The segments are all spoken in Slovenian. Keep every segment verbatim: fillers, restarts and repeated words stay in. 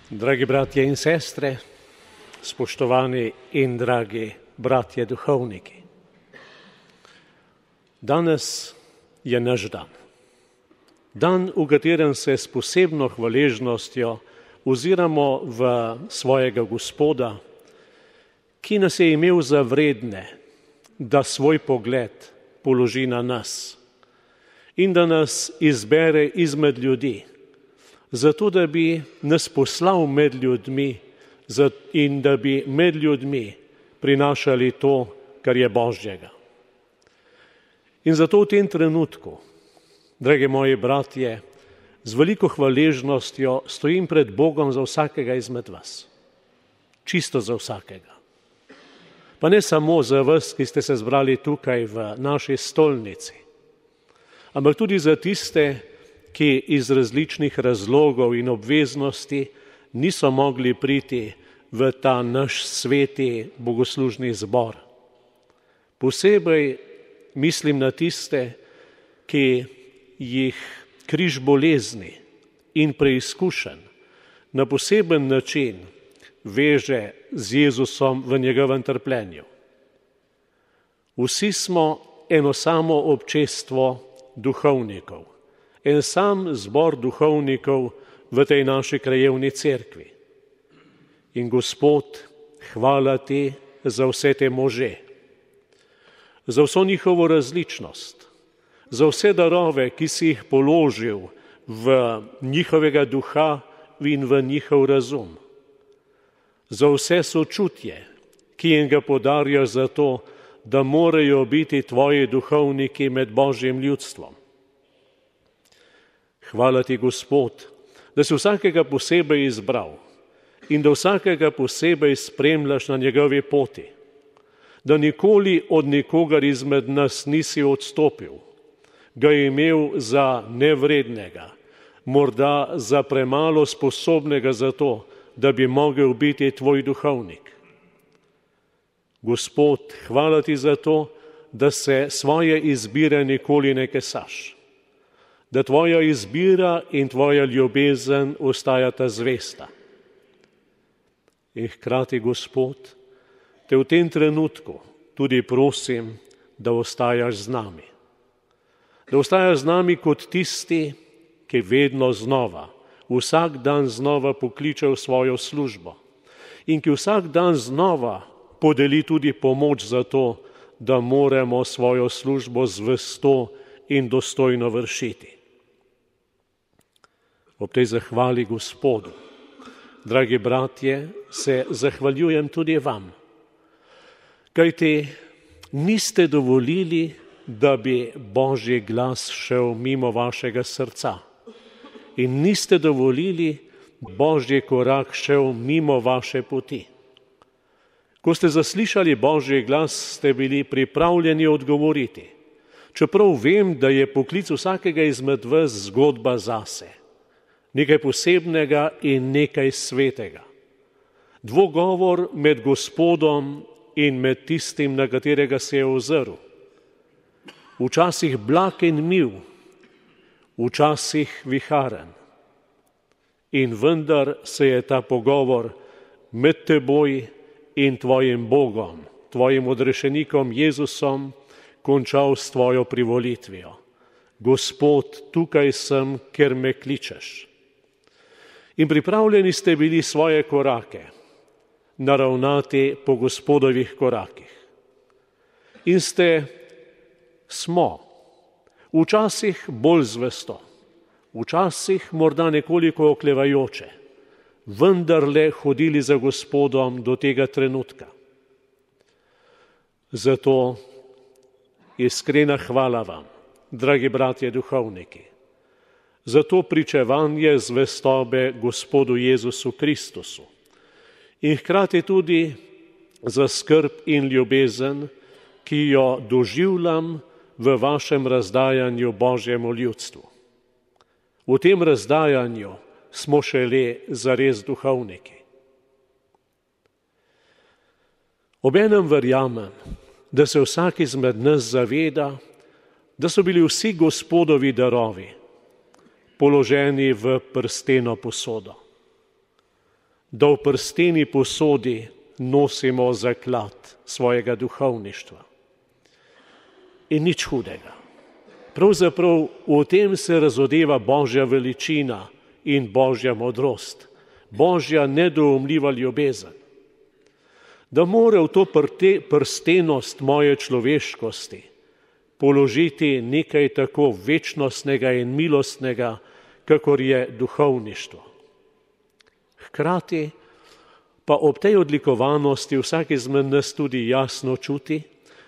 Dragi bratje in sestre, spoštovani in dragi bratje duhovniki. Danes je naš dan. Dan, v katerem se s posebno hvaležnostjo oziramo v svojega Gospoda, ki nas je imel za vredne, da svoj pogled položi na nas in da nas izbere izmed ljudi, zato da bi nas poslal med ljudmi in da bi med ljudmi prinašali to, kar je Božjega. In zato v tem trenutku, dragi moji bratje, z veliko hvaležnostjo stojim pred Bogom za vsakega izmed vas. Čisto za vsakega. Pa ne samo za vas, ki ste se zbrali tukaj v naši stolnici, ampak tudi za tiste, ki iz različnih razlogov in obveznosti niso mogli priti v ta naš sveti bogoslužni zbor. Posebej mislim na tiste, ki jih križ bolezni in preizkušenj na poseben način veže z Jezusom v njegovem trpljenju. Vsi smo eno samo občestvo duhovnikov, en sam zbor duhovnikov v tej naši krajevni cerkvi. In Gospod, hvala ti za vse te može, za vso njihovo različnost, za vse darove, ki si jih položil v njihovega duha in v njihov razum, za vse sočutje, ki jim ga podarjaš za to, da morajo biti tvoji duhovniki med Božjim ljudstvom. Hvala ti, Gospod, da si vsakega posebej izbral in da vsakega posebej spremljaš na njegovi poti, da nikoli od nikogar izmed nas nisi odstopil, ga je imel za nevrednega, morda za premalo sposobnega za to, da bi mogel biti tvoj duhovnik. Gospod, hvala ti za to, da se svoje izbire nikoli ne kesaš, da tvoja izbira in tvoja ljubezen ostajata zvesta. In hkrati, Gospod, te v tem trenutku tudi prosim, da ostajaš z nami. Da ostajaš z nami kot tisti, ki vedno znova, vsak dan znova pokliče v svojo službo in ki vsak dan znova podeli tudi pomoč za to, da moramo svojo službo zvesto in dostojno vršiti. Ob tej zahvali Gospodu, dragi bratje, se zahvaljujem tudi vam, kajti niste dovolili, da bi Božji glas šel mimo vašega srca in niste dovolili, da Božji korak šel mimo vaše poti. Ko ste zaslišali Božji glas, ste bili pripravljeni odgovoriti, čeprav vem, da je poklic vsakega izmed vas zgodba zase, nekaj posebnega in nekaj svetega. Dvogovor med Gospodom in med tistim, na katerega se je ozrl. Včasih blag in mil, včasih viharen. In vendar se je ta pogovor med teboj in tvojim Bogom, tvojim odrešenikom Jezusom, končal s tvojo privolitvijo. Gospod, tukaj sem, ker me kličeš. In pripravljeni ste bili svoje korake naravnati po Gospodovih korakih. In ste, smo, včasih bolj zvesto, včasih morda nekoliko oklevajoče, vendarle hodili za Gospodom do tega trenutka. Zato iskrena hvala vam, dragi bratje duhovniki, za to pričevanje zvestobe Gospodu Jezusu Kristusu in hkrati tudi za skrb in ljubezen, ki jo doživljam v vašem razdajanju Božjemu ljudstvu. V tem razdajanju smo šele zares duhovniki. Obenem verjamem, da se vsak izmed nas zaveda, da so bili vsi Gospodovi darovi položeni v prsteno posodo. da v prsteni posodi nosimo zaklad svojega duhovništva. In nič hudega. Pravzaprav v tem se razodeva Božja veličina in Božja modrost, Božja nedoumljiva ljubezen. Da mora v to prstenost moje človeškosti položiti nekaj tako večnostnega in milostnega, kakor je duhovništvo. Hkrati pa ob tej odlikovanosti vsak izmed nas tudi jasno čuti,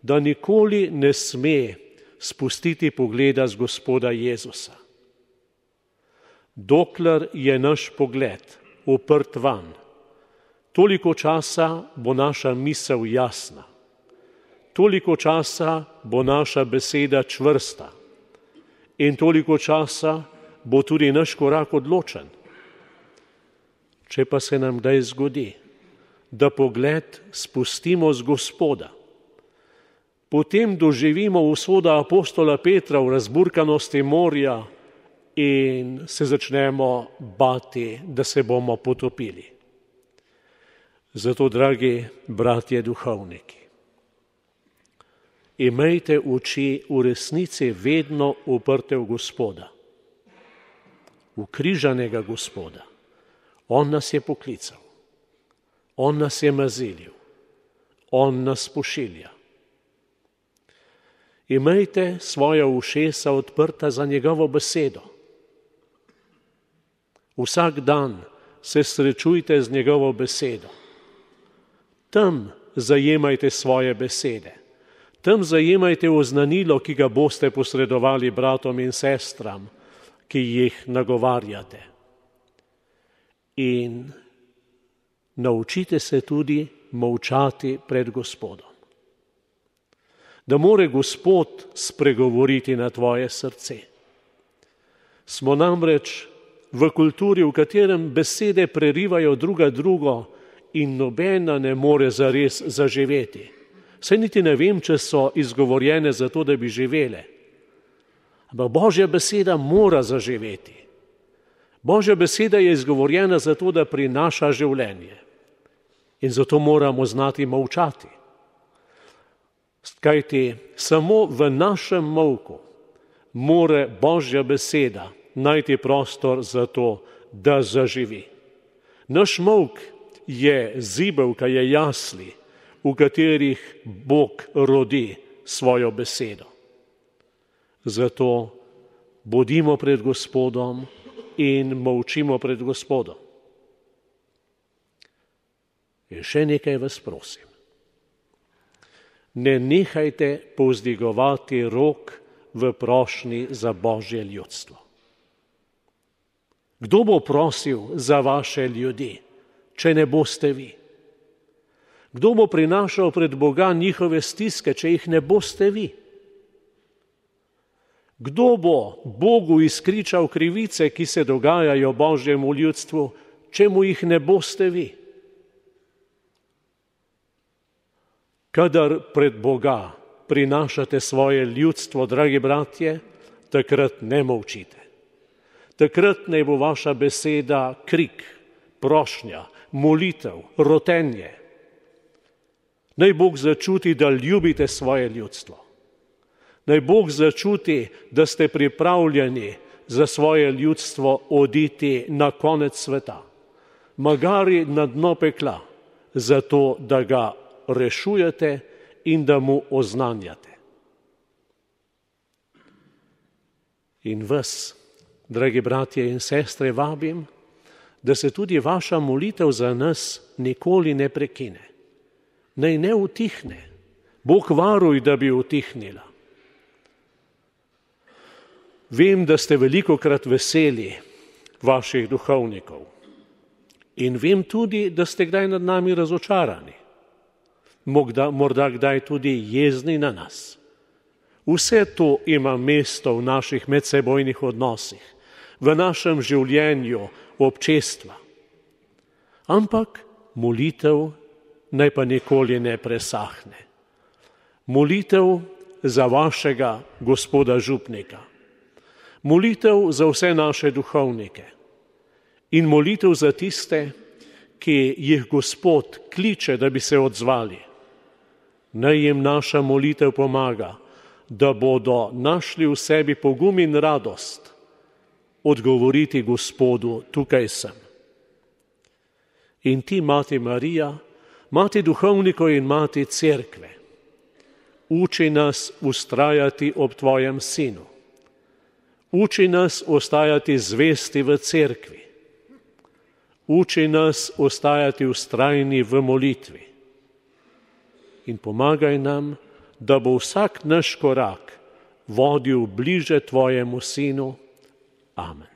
da nikoli ne sme spustiti pogleda z Gospoda Jezusa. Dokler je naš pogled uprt van, toliko časa bo naša misel jasna, toliko časa bo naša beseda čvrsta in toliko časa bo tudi naš korak odločen. Če pa se nam kdaj zgodi, da pogled spustimo z Gospoda, potem doživimo usoda apostola Petra v razburkanosti morja in se začnemo bati, da se bomo potopili. Zato, dragi bratje duhovniki, imejte oči v resnici vedno uprte v Gospoda, v križanega Gospoda. On nas je poklical, on nas je mazilil, on nas pošilja. Imejte svoja ušesa odprta za njegovo besedo. Vsak dan se srečujte z njegovo besedo. Tam zajemajte svoje besede. Tam zajemajte oznanilo, ki ga boste posredovali bratom in sestram, ki jih nagovarjate. In naučite se tudi molčati pred Gospodom. Da more Gospod spregovoriti na tvoje srce. Smo namreč v kulturi, v katerem besede prerivajo druga drugo in nobena ne more zares zaživeti. Saj niti ne vem, če so izgovorjene zato, da bi živele. Ampak Božja beseda mora zaživeti. Božja beseda je izgovorjena zato, da prinaša življenje. In zato moramo znati molčati. Kajti samo v našem molku more Božja beseda najti prostor za to, da zaživi. Naš molk je zibelka, je jasli, v katerih Bog rodi svojo besedo. Zato bodimo pred Gospodom in molčimo pred Gospodom. In še nekaj vas prosim. Ne nehajte povzdigovati rok v prošnji za Božje ljudstvo. Kdo bo prosil za vaše ljudi, če ne boste vi? Kdo bo prinašal pred Boga njihove stiske, če jih ne boste vi? Kdo bo Bogu izkričal krivice, ki se dogajajo Božjemu ljudstvu, če mu jih ne boste vi? Kadar pred Boga prinašate svoje ljudstvo, dragi bratje, takrat ne molčite. Takrat naj bo vaša beseda krik, prošnja, molitev, rotenje. Naj Bog začuti, da ljubite svoje ljudstvo. Naj Bog začuti, da ste pripravljeni za svoje ljudstvo oditi na konec sveta, magari na dno pekla, zato da ga rešujete in da mu oznanjate. In vas, dragi bratje in sestre, vabim, da se tudi vaša molitev za nas nikoli ne prekine. Naj ne utihne. Bog varuj, da bi utihnila. Vem, da ste velikokrat veseli vaših duhovnikov. In vem tudi, da ste kdaj nad nami razočarani. Morda, morda kdaj tudi jezni na nas. Vse to ima mesto v naših medsebojnih odnosih, v našem življenju občestva. Ampak molitev naj pa nikoli ne presahne. Molitev za vašega gospoda župnika. Molitev za vse naše duhovnike. In molitev za tiste, ki jih Gospod kliče, da bi se odzvali. Naj jim naša molitev pomaga, da bodo našli v sebi pogum in radost odgovoriti Gospodu, tukaj sem. In ti, Mati Marija, Mati duhovnikov in Mati Cerkve, uči nas vztrajati ob tvojem sinu. Uči nas ostajati zvesti v cerkvi. Uči nas ostajati vztrajni v molitvi. In pomagaj nam, da bo vsak naš korak vodil bliže tvojemu sinu. Amen.